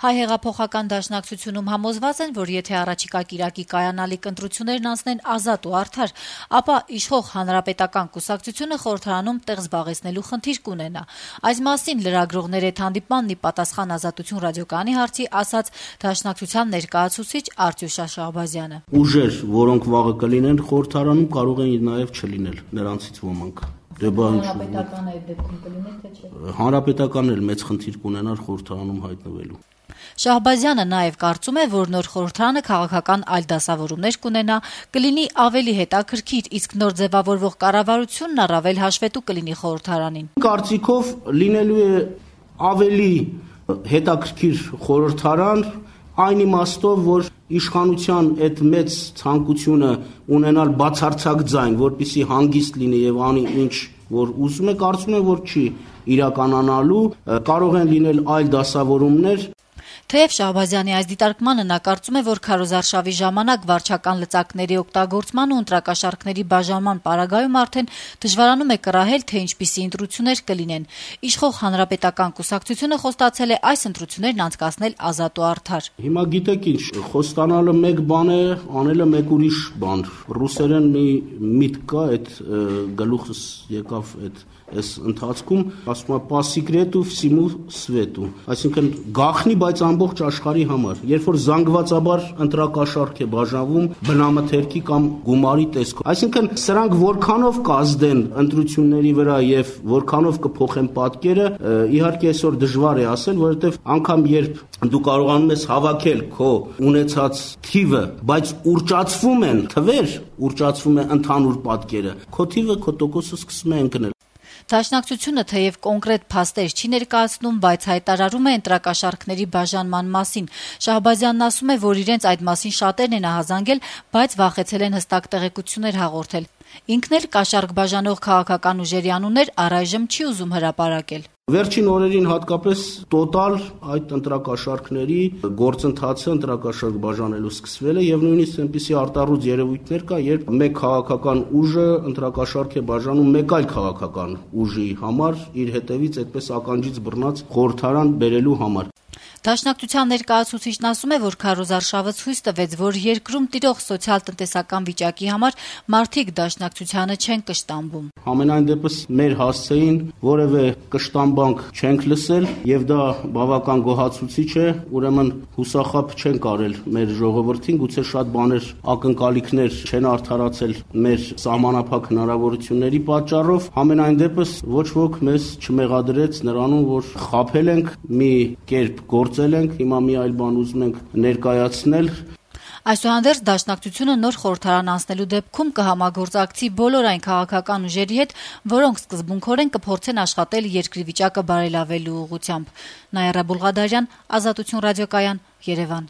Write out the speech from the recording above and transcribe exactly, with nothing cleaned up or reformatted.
Հայ հեղափոխական դաշնակցությունում համոզված են, որ եթե առաջիկա կիրակի կայանալիք ընտրություններն անցնեն ազատ ու արդար, ապա իշխող Հանրապետական կուսակցությունը խորհրդարանում տեղ զբաղեցնելու խնդիր կունենա։ Այս մասին լրագրողներ հետ հանդիպմանն ի պատասխան Ազատություն ռադիոկայանի հարցի ասաց դաշնակցության ներկայացուցիչ Արտյուշ Շահբազյանը։ Ուժեր, որոնք վաղը կլինեն խորհրդարանում, կարող են նաև չլինել նրանցից ոմանք։ Հանրապետականը այդ դեպքում կլիներ, թե չէ։ Հանրապետականն էլ մեծ խնդիր կունենար խորհրդարանում հայտնվելու։ Շահբազյանը նաև կարծում է, որ նոր խորհրդարանը քաղաքական այլ դասավորումներ կունենա, կլինի ավելի հետաքրքիր, իսկ նոր ձևավորվող կառավարությունն առավել հաշվետու կլինի խորհրդարանին։ Կարծիքով լինելու է ավելի հետաքրքիր խորհրդարան, այն իմաստով, որ իշխանության այդ մեծ ցանկությունը ունենալ բացարձակ ձայն, որպեսզի հանգիստ լինի եւ անի ինչ որ ուզում է, կարծում եմ, որ չի իրականանալու, կարող են լինել այլ դասավորումներ։ Թեև Շահբազյանի այս դիտարկմանը նա կարծում է, որ քարոզարշավի ժամանակ վարչական լծակների օգտագործման ու ընտրակաշառքների բաժանման պարագայում արդեն դժվարանում է կռահել, թե ինչպիսի ընտրություններ կլինեն։ Իշխող Հանրապետական կուսակցությունը խոստացել է այս ընտրություններն անցկացնել ազատ ու արդար։ Հիմա գիտեք ինչ, խոստանալը մեկ բան է, անելը մեկ ուրիշ բան։ Ռուսերեն մի միտք կա, այդ գլուխս եկավ այդ այս ընթացքում, ասում է «По секрету всему свету», այսինքն գաղտնի, բայց ամբողջ աշխարհի համար։ Երբ որ զանգվածաբար ընտրակաշառք է բաժանվում բնամթերքի կամ գումարի տեսքով, այսինքն սրանք որքանով կազդեն ընտրությունների վրա եւ որքանով կփոխեն պատկերը, իհարկե այսօր դժվար է ասել, որովհետեւ անգամ երբ դու կարողանում ես հավաքել քո ունեցած թիվը, բայց ուրճացվում են թվեր, ուրճացվում է ընդհանուր պատկերը, քո թիվը, քո տոկոսը սկսում է ընկնել։ Դաշնակցությունը թեև կոնկրետ փաստեր չի ներկայացնում, բայց հայտարարում է ընտրակաշառքների բաժանման մասին։ Շահբազյանն ասում է, որ իրենց այդ մասին շատերն են ահազանգել, բայց վախեցել են հստակ տեղեկություններ հաղորդել։ Ինքն էլ կաշառք բաժանող քաղաքական ուժերի անուններ առայժմ չի ուզում հրապարակել։ Վերջին օրերին հատկապես տոտալ այդ ընտրակաշառքների գործընթացը ընտրակաշառք բաժանելու սկսվել է եւ նույնիսկ այնպիսի արտառոց երևույթներ կա, երբ մեկ քաղաքական ուժը ընտրակաշառք է բաժանում մեկ այլ քաղաքական ուժի համար իր հետևից այդպես ականջից բռնած խորհրդարան բերելու համար։ Դաշնակցության ներկայացուցիչն ասում է, որ քարոզարշավը ցույց տվեց, որ երկրում տիրող սոցիալ-տնտեսական վիճակի համար մարդիկ դաշնակցությանը չեն կշտամբում։ Համենայն դեպս մեր հասցեին որևէ կշտամբանք չենք լսել եւ դա բավական գոհացուցիչ է, ուրեմն հուսախաբ չենք արել մեր ժողովրդին, գուցե շատ բաներ ակնկալիքներ չեն արդարացել մեր սահմանափակ հնարավորությունների պատճառով, համենայն դեպս ոչ ոք մեզ չմեղադրեց նրանում, որ խաբել ենք մի կերպ գործել ենք, հիմա մի այլ բան ուզում ենք ներկայացնել։ Այսուհանդերձ դաշնակցությունը նոր խորհրդարան անցնելու դեպքում կհամագործակցի բոլոր այն քաղաքական ուժերի հետ, որոնք սկզբունքորեն կփորձեն աշխատել երկրի վիճակը բարելավելու ուղղությամբ։ Նաիրա Բուլղադարյան, Ազատություն ռադիոկայան, Երևան։